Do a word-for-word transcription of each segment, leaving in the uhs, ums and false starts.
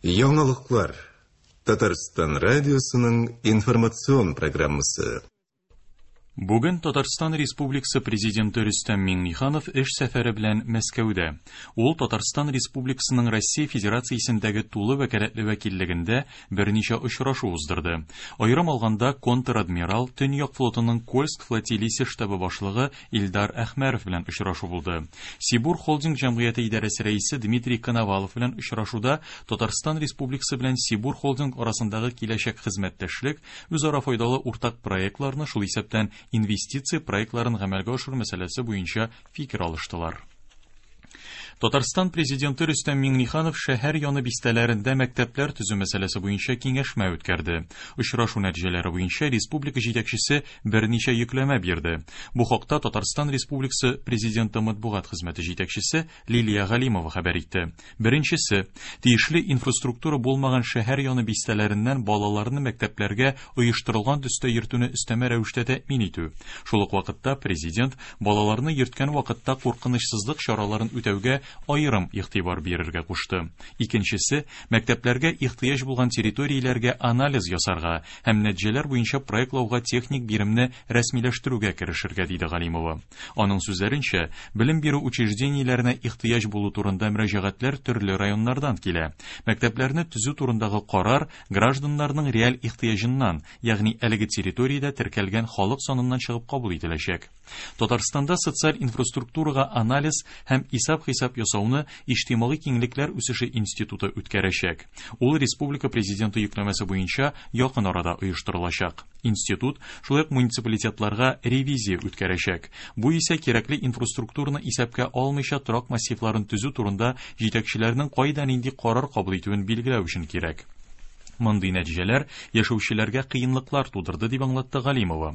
Яңалыклар. Татарстан радиосының информацион программасы. Бүген Татарстан Республикасы Президенты Рөстәм Миңнеханов эш сәфәре белән Мәскәүдә. Ул Татарстан Республикасының Россия Федерациясендәге тулы вәкаләтле вәкиллегендә берничә очрашу уздырды. Аерым алганда, контр-адмирал, Төньяк флотының Кольск флотилиясе штабы башлыгы Илдар Әхмәров белән очрашу булды. Сибур холдинг җәмгыяте идарәсе рәисе Дмитрий Коновалов белән очрашуда Татарстан Республикасы белән Сибур холдинг арасындагы киләчәк хезмәттәшлек, үзара файдалы уртак проектларны, шул исәптән инвестиция проектларын гамәлгә ашыру мәсьәләсе буенча фикер алыштылар. Татарстан Президенты Рөстәм Миңнеханов шәһәр яны бистәләрендә мәктәпләр төзү мәсьәләсе буенча киңәшмә үткәрде. Очрашу нәтиҗәләре буенча республика җитәкчесе берничә йөкләмә бирде. Бу хакта Татарстан Республикасы Президенты матбугат хезмәте җитәкчесе Лилия Галимова хәбәр итте. Беренчесе, тиешле инфраструктура булмаган шәһәр яны бистәләреннән балаларны мәктәпләргә оештырылган төстә йөртүне өстәмә рәвештә тәэмин итү. Шул ук вакытта президент балаларны йөрткән вакытта куркынычсызлык чараларын үтәүгә аерым игътибар бирергә кушты. Икенчесе, мәктәпләргә ихтыяҗ булган территорияләргә анализ ясарга һәм нәтиҗәләр буенча проектлауга техник биремне рәсмиләштерүгә керешергә, диде Галимова. Аның сүзләренчә, белем бирү учреждениеләренә ихтыяҗ булу турында мөрәҗәгатьләр төрле районнардан килә. Мәктәпләрне төзү турындагы карар гражданнарның реаль ихтыяҗыннан, ягъни әлеге территориядә теркәлгән халык саныннан чыгып кабул ителәчәк. Татарстанда социаль инфраструктурага анализ һәм исәп-хисап ясауны Иҗтимагый киңлекләр үсеше институты үткәрәчәк. Ул республика президенты йөкләмәсе буенча якын арада оештырылачак. Институт шулай ук муниципалитетларга ревизия үткәрәчәк. Бу исә кирәкле инфраструктураны исәпкә алмыйча торак массивларын төзү турында җитәкчеләрнең кайда нинди карар кабул итүен билгеләү өчен кирәк. Мондый нәтиҗәләр яшәүчеләргә кыенлыклар тудырды, дип аңлатты Галимова.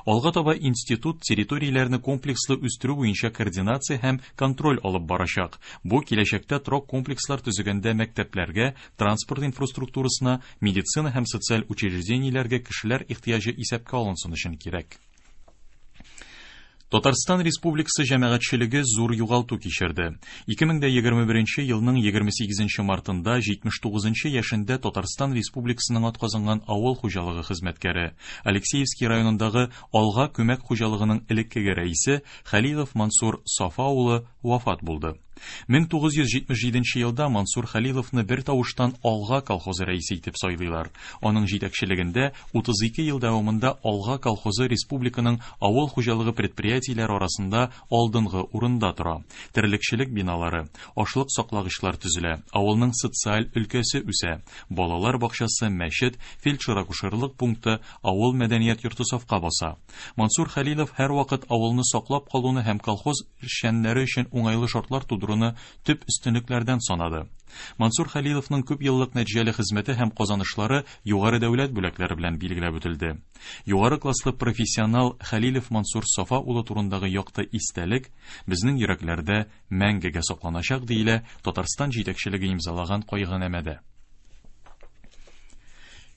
Алга таба институт территорияләрне комплекслы үстерү буенча координация һәм контроль алып барачак. Бу киләчәктә торак комплекслар төзегәндә мәктәпләргә, транспорт инфраструктурасына, медицина һәм социаль учреждениеләргә кешеләр ихтыяҗы исәпкә алынсын өчен кирәк. Татарстан Республикасы җәмәгатьчелеге зур югалту кичерде. ике мең егерме беренче елның егерме сигезенче мартында җитмеш тугызынчы яшендә Татарстан Республикасының атказанган авыл хуҗалыгы хезмәткәре, Алексеевский районындагы Алга күмәк хуҗалыгының элеккеге рәисе Хәлилов Мансур Сафа улы вафат булды. мең тугыз йөз җитмеш җиденче елда Мансур Хәлиловны бер тавыштан Алга колхозы рәисе итеп сайлыйлар. Аның җитәкчелегендә утыз ике ел дәвамында Алга колхозы республиканың авыл хуҗалыгы предприятиеләре арасында алдынгы урында тора. Терлекчелек биналары, ашлык саклагычлар төзелә, авылның социаль өлкәсе үсә, балалар бакчасы, мәчет, фельдшер-акушерлык пункты, авыл мәдәният йорты сафка баса. Мансур Хәлилов һәрвакыт авылны саклап калуны һәм колхоз эшчәннәре өчен уңайлы шартлар тудыруны төп өстенлекләрдән санады. Мансур Хәлиловның күп еллык нәтиҗәле хезмәте һәм казанышлары югары дәүләт бүләкләре белән билгеләп үтелде. Югары класслы профессионал Хәлилов Мансур Сафа улы турындагы якты истәлек безнең йөрәкләрдә мәңгегә сакланачак, диелә Татарстан җитәкчелеге имзалаган кайгынамәдә.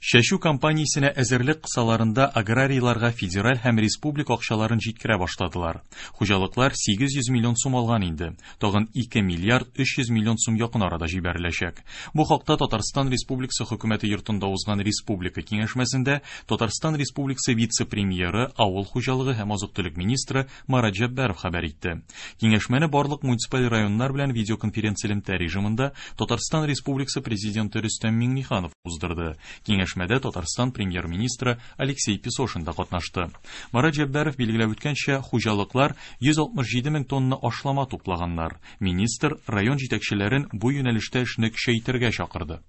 Чәчү кампаниясенә әзерлек кысаларында аграрийларга федераль һәм республика акчаларын җиткерә башладылар. Хуҗалыклар сигез йөз миллион сум алган инде. Тагын ике миллиард өч йөз миллион сум якын арада җибәреләчәк. Бу хакта Татарстан Республикасы хөкүмәте йортында узган республика киңәшмәсендә Татарстан Республикасы вице-премьеры, авыл хуҗалыгы һәм азык-төлек министры Марат Җәббаров хәбәр итте. Киңәшмәне барлык муниципаль районнар белән видеоконференц-элемтә режимында Татарстан Республикасы президенты Рөстәм Миңнеханов уздырды. Киңәшмәдә Татарстан премьер-министры Алексей Песошин да катнашты. Марат Җәббаров билгеләп үткәнчә, хуҗалыклар йөз алтмыш җиде мең тонна ашлама туплаганнар. Министр район җитәкчеләрен бу юнәлештә эшне көчәйтергә чакырды.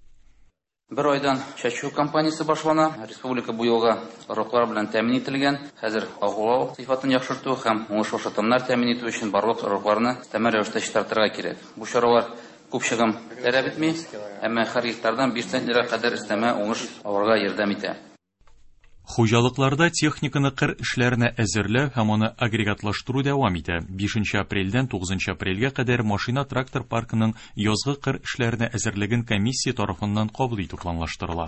Бер айдан чәчү кампаниясе башлана. Республика бу елга орлыклар белән тәэмин ителгән. Хәзер агулау сыйфатын яхшырту һәм уңышлы шытымнар тәэмин итү өчен барлык орлыкларны өстәмә рәвештә чистартырга кирәк. Бу чаралар күп чыгым таләп итми, әмма һәр гектардан биш центнерга кадәр өстәмә уңыш алырга ярдәм итә. Хуҗалыкларда техниканы кыр эшләренә әзерләү һәм аны агрегатлаштыру дәвам итә. Бишенче апрельдән тугызынчы апрельгә кадәр машина-трактор паркының язгы кыр эшләренә әзерлеген комиссия тарафыннан кабул итү планлаштырыла.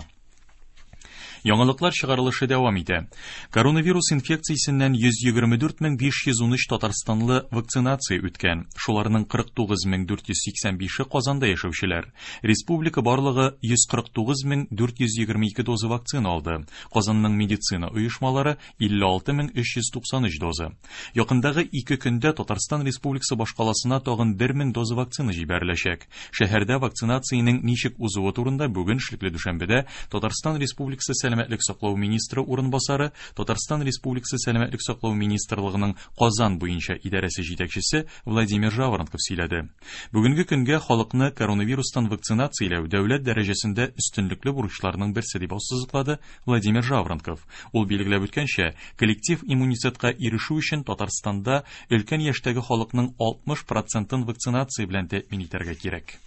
Яңалыклар чыгарылышы дәвам итә. Коронавирус инфекциясеннән йөз егерме дүрт мең биш йөз унөч татарстанлы вакцинация үткән. Шуларның кырык тугыз мең дүрт йөз сиксән бише Казанда яшәүчеләр. Республика барлыгы йөз кырык тугыз мең дүрт йөз егерме ике доза вакцина алды. Казанның медицина оешмалары илле алты мең өч йөз туксан өч доза. Якындагы ике көндә Татарстан Республикасы башкаласына тагын бер мең доза вакцина җибәреләчәк. Шәһәрдә вакцинациянең ничек узуы турында бүген эшлекле дүшәмбедә Татарстан Республикасы Сәламәтлек саклау министры урынбасары, Татарстан Республикасы Сәламәтлек саклау министрлыгының Казан буенча идарәсе җитәкчесе Владимир Жаворонков сөйләде. Бүгенге көнгә халыкны коронавирустан вакцинацияләү дәүләт дәрәҗәсендә өстенлекле бурычларның берсе дип ассызыклады Владимир Жаворонков. Ул билгеләп үткәнчә, коллектив иммунитетка ирешү өчен Татарстанда өлкән яшьтәге халыкның алтмыш процентын вакцинация белән тәэмин итәргә кирәк.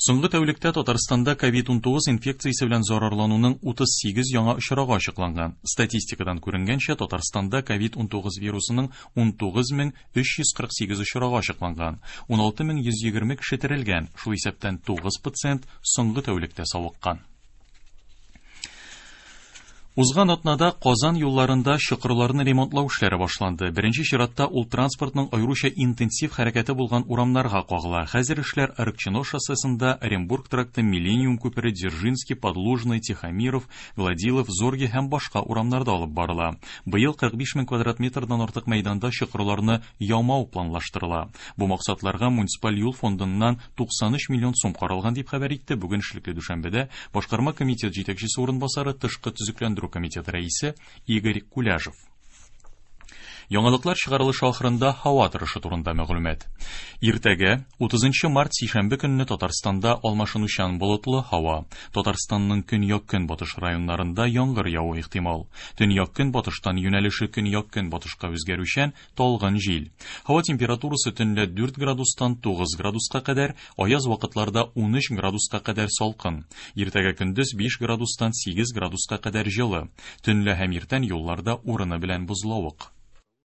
Соңгы тәүлектә Татарстанда ковид унтугыз инфекциясе белән зарарлануның утыз сигез яңа очрагы ачыкланган. Статистикадан күренгәнчә, Татарстанда ковид унтугыз вирусының унтугыз мең өч йөз кырык сигез очрагы ачыкланган. Уналты мең йөз егерме кеше терелгән, шул исәптән тугыз пациент соңгы тәүлектә савыккан. Узган атнада Казан юлларында чокырларны ремонтлау эшләре башланды. Беренче чиратта ул транспортның аеруча интенсив хәрәкәте булган урамнарга кагыла. Хәзер эшләр Арыкчино шоссесында, Оренбург тракты, Миллениум күпере, Дзержинский, Подлужный, Тихомиров, Гладилов, Зорге һәм башка урамнарда алып барыла. Быел кырык биш мең квадрат метрдан артык мәйданда чокырларны ямау планлаштырыла. Бу максатларга муниципаль юл фондыннан туксан өч миллион сум каралган дип хәбәр итте бүген эшлекле дүшәмбедә башкарма комитет җитәкчесе урынбасары, тышкы төзекләндерү комитеты рәисе Игорь Куляжев. Яңалыклар чыгарылышы ахырында һава торышы турында мәгълүмат. Иртәгә утызынчы март сишәмбе көнне Татарстанда алмашынучан болытлы һава. Татарстанның көньяк-көнбатыш районнарында яңгыр явуы ихтимал. Төньяк-көнбатыштан юнәлеше көньяк-көнбатышка үзгәрүчән талгын җил. Һава температурасы төнлә дүрт градустан тугыз градуска кадәр, аяз вакытларда унөч градуска кадәр салкын. Иртәгә көндез биш градустан сигез градуска кадәр җылы. Төнлә һәм иртән юлларда урыны белән бозлавык.